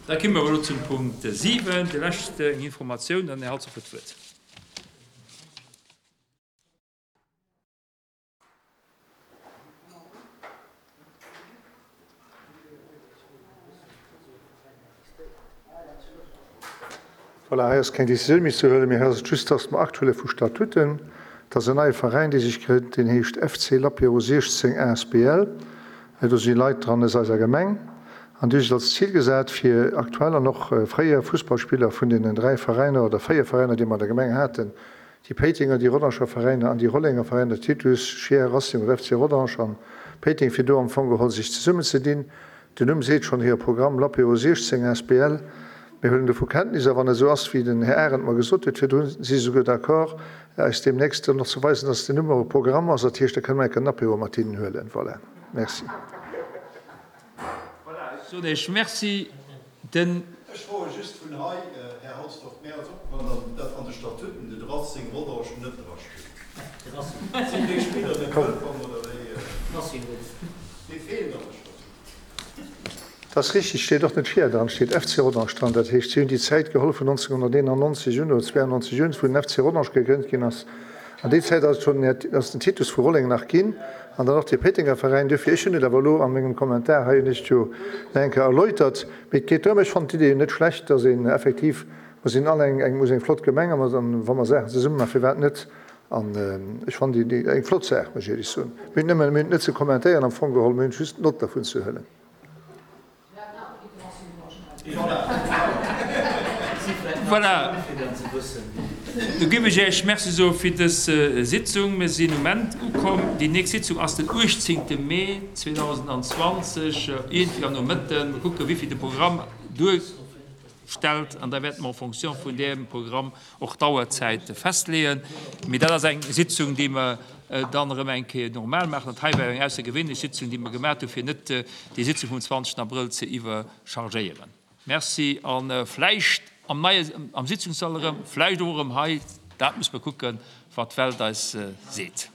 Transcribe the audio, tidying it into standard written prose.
Da komme mer elo zum Punkt 7, déi lescht Informatioun, an den Här Halsdorf huet d'Wuert. Voilà, hei ass keng Décisioun méi ze huelen, mee hei ass et just, dass mer Akt huele vu Statuten. Et ass en neie Veräin, dee sech grënnt, deen heescht FC Lapéro 16 asbl. Do si Leit dran aus eiser Gemeng an déi hu sech als Zil gesat, fir aktuell an och fréier Fussballspiller vun deenen 3 Veräiner oder 4 Veräiner, déi mer an der Gemeng haten, Déi Péitenger, déi Rodanger Veräiner an déi Rollenger Veräiner, Titus, Scheer, Racing oder FC Rodange an Péiteng, fir do am Fong geholl sech zesummen ze dinn. Den Numm seet schonn hire Programm, L'Apéro 16 asbl. Mir huelen dovu Kenntnis a wann et esou ass, wéi den Här Arendt mer gesot huet virdrun, si se souguer d'accord, eis deemnächst dann och ze weisen, dass den Numm och e Programm ass. Dat heescht, da kënne mer enk en Apéro mat hinnen huelen. Voilà. Merci. Voilà, ech soen Iech Merci. Den. Ech froe just vun hei, Här Halsdorf, mär ass opgefall, datt an de Statuten de Racing Rodange net dra steet. Sinn déi Spiller net wëllkomm oder wéi? Dee feelt an de Statuten. Dat ass richtig, steet och net Scheer dran, steet FC Rodange dran. Dat heescht, si hunn déi Zäit geholl vun 1991 un oder 92 un, wou den FC Rodange gegrënnt ginn ass. An déi Zäit ass et schonn, ass den Titus vu Rolleng nach ginn an dann och de Péitenger Veräin. Duerfir, ech hunn et awer elo a mengem Kommentar hei hunn ech et jo nach eng Kéier erläutert, mee et geet drëm, ech fannen d'Idee jo net schlecht, dass een effektiv, mer sinn all eng, eng, eng flott Gemeng a mer, wa mer Saachen zesumme maachen, firwat net? An ech fannen déi eng flott Saach, muss ech éierlech soen. Mir hunn nëmmen, mir hunn et net ze kommentéieren am Fong geholl, mir hunn just Nott dervun ze huelen. Voilà, do géif ech Iech Merci soe fir dës Sitzung. Mir sinn um Enn ukomm. Déi nächst Sitzung ass den 18. Mee 2020, iergendwéi am Nomëtten. Mir kucken, wéi vill de Programm duerstellt, an da wäerte mer en fonction vun deem Programm och d'Auerzäite festleeën. Mee dat ass eng Sitzung, déi mer dann erëm eng Kéier normal maachen. Dat hei war eng aussergewéinlech Sitzung, déi mer gemaach hu fir net déi Sitzung vum 20. Abrëll ze iwwerchargéieren. Merci a vläicht am neie, am Sitzungssall erëm, vläicht och erëm hei, dat muss mer kucken, wat d'Welt eis seet.